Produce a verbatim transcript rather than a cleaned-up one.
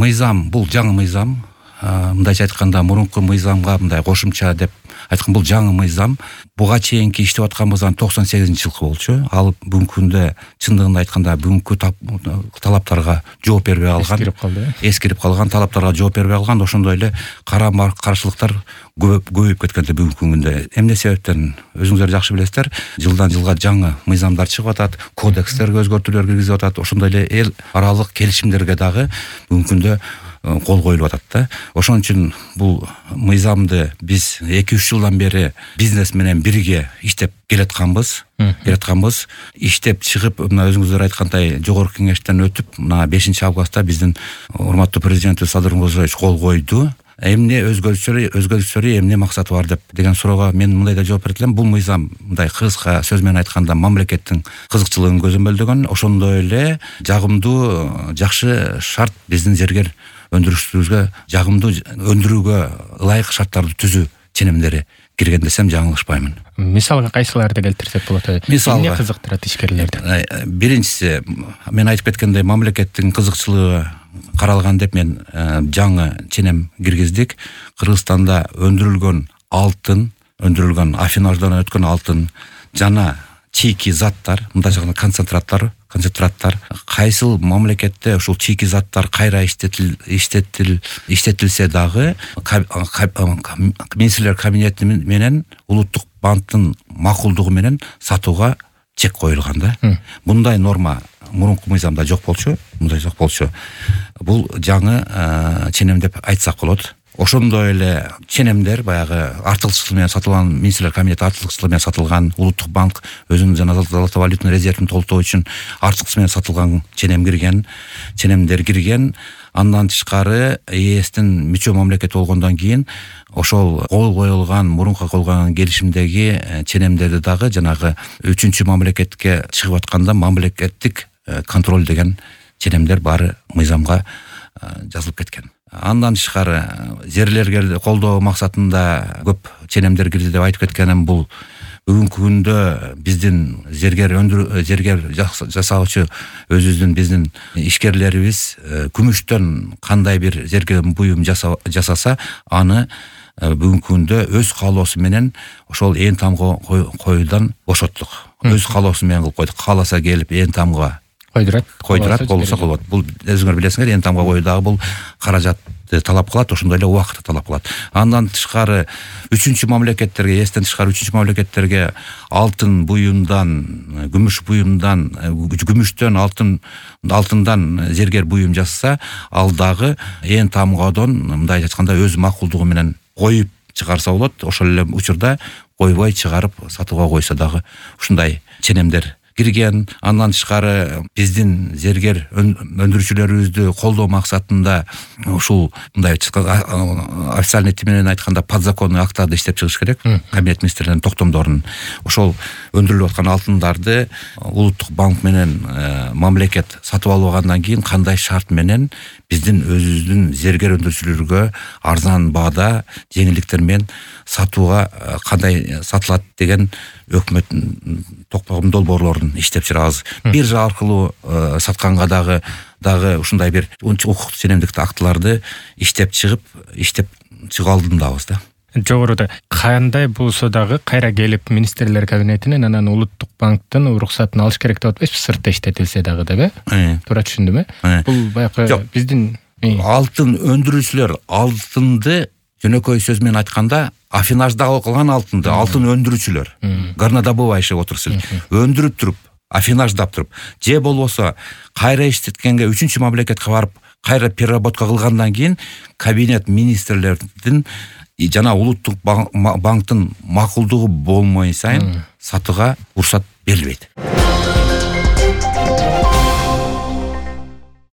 мыйзам бул жаңы мыйзам. Мындайча айтканда мурунку мыйзамга мындай кошумча деп айткан бул жаңы мыйзам. Буга чейинки иштеп атканыбыздан токсон сегизинчи жылкы болчу. Ал бүгүнкү күндө чындыгында айтканда бүгүнкү талаптарга жооп бербей калган. Эскирип калды. Эскирип калган, талаптарга жооп бербей калган. Ошондой эле карама каршылыктар көбөйүп кеткен бүгүнкү күндө. Эмне себептен өзүңүздөр жакшы билесиздер. Жылдан жылга жаңы мыйзамдар чыгып атат, кодекстерге өзгөртүүлөр киргизип атат. Ошондой эле эл аралык келишимдерге дагы бүгүнкү күндө кол коюлуп атат да. Ошон үчүн бул мыйзамды биз эки үч жылдан бери бизнес менен бирге иштеп келатканбыз. Келатканбыз. Иштеп чыгып, мына өзүңүздөр айткандай жогорку кеңештен өтүп, мына бешинчи августта биздин урматтуу президентибиз Садыр Мурзиёевич кол койду. Эмне өзгөрүштөр, өзгөрүштөр эмне максаты бар деп деген суроого мен мындай да жооп берет элем. Бул мыйзам мындай кыска сөз менен айтканда мамлекеттин кызыкчылыгын көзөмөлдөгөн, ошондой эле жагымдуу, жакшы шарт биздин зергер өндүрүшүбүзгө, жагымдуу өндүрүүгө ылайык шарттарды түзүү ченемдери кирген десем жаңылышпаймын. Мисалга кайсыларды келтирсек болот? Эмне кызыктырат ишкерлерди? Биринчиси, мен айтып кеткендей, мамлекеттин кызыкчылыгы каралган деп мен жаңы ченем киргиздик. Кыргызстанда өндүрүлгөн алтын, өндүрүлгөн афинаждан өткөн алтын жана чийки заттар, мындайча айтканда концентраттар, концентраттар кайсыл мамлекетте ушул чийки заттар кайра иштетил иштетил иштетилсе дагы министрлер кабинети менен улуттук банктын макулдугу менен сатууга чек коюлган да. Мындай норма мурунку мыйзамда жок болчу, мындай жок болчу. Бул жаңы ченем деп айтсак болот. Ошондой эле ченемдер баягы артыкчылык менен сатылган, министрлер кабинети артыкчылык менен сатылган, улуттук банк өзүнүн жана золото валютный резервин толтоо үчүн артыкчылык менен сатылган ченем кирген, ченемдер кирген. Андан тышкары ЕСтин мүчө мамлекети болгондон кийин ошол кол коюлган, мурунку коюлган келишимдеги ченемдерди дагы жанагы үчүнчү мамлекетке чыгып атканда мамлекеттик контроль деген ченемдер баары мыйзамга жазылып кеткен. Андан тышкары жерлерге колдоо максатында көп ченемдер кирди деп айтып кеткеним бул бүгүнкү күндө биздин зергер өндүрүү, зергер жасаучу өзүбүздүн биздин ишкерлерибиз күмүштөн кандай бир зергер буюм жасаса, аны бүгүнкү күндө өз каалоосу менен ошол ээн тамга коюудан бошоттук. Өз каалоосу менен кылып койдук. Кааласа келип ээн тамга койдурат, койдурат, болсо болот. Бул өзүңөр билесиңер, ээн тамга коюу дагы бул каражатты талап кылат, ошондой эле убакытты талап кылат. Андан тышкары үчүнчү мамлекеттерге, эстен тышкары үчүнчү мамлекеттерге алтын буюмдан, күмүш буюмдан, күмүштөн, алтын, алтындан зергер буюм жасаса, ал дагы ээн тамгадон мындай айтканда өз макулдугу менен коюп чыгарса болот. Ошол эле учурда койбой чыгарып сатууга койсо дагы ушундай ченемдер кирген. Андан тышкары биздин зергер өндүрүүчүлөрүбүздү колдоо максатында ушул мындай официальный тил менен айтканда подзаконный актарды иштеп чыгыш керек. Кабинет министрлеринин токтомдорун. Ошол өндүрүлүп аткан алтындарды улуттук банк менен мамлекет сатып алып алгандан кийин кандай шарт менен биздин өзүбүздүн зергер өндүрүүчүлөргө арзан баада, жеңилдиктер менен сатууга кандай сатылат деген өкмөттүн токтогон долбоорлорун иштеп чыгабыз. Биржа аркылуу сатканга дагы дагы ушундай бир укуктук ченемдик актыларды иштеп чыгып, иштеп чыга алдындабыз да. Жогоруда кандай болсо дагы кайра келип министрлер кабинетинен анан улуттук банктын уруксатын алыш керек деп атпайсызбы, сыртта иштетилсе дагы деп, э? Туура түшүндүм, э? Бул баягы биздин алтын өндүрүүчүлөр алтынды жөнөкөй сөз менен айтканда афинажда калган алтынды, алтын өндүрүүчүлөр, горнодобывающий отрасль өндүрүп туруп, афинаждап туруп, же болбосо кайра иштеткенге үчүнчү мамлекетке барып, кайра переработка кылгандан кийин кабинет министрлердин жана улуттук банктын макулдугу болмой сайын сатууга уруксат берилбейт.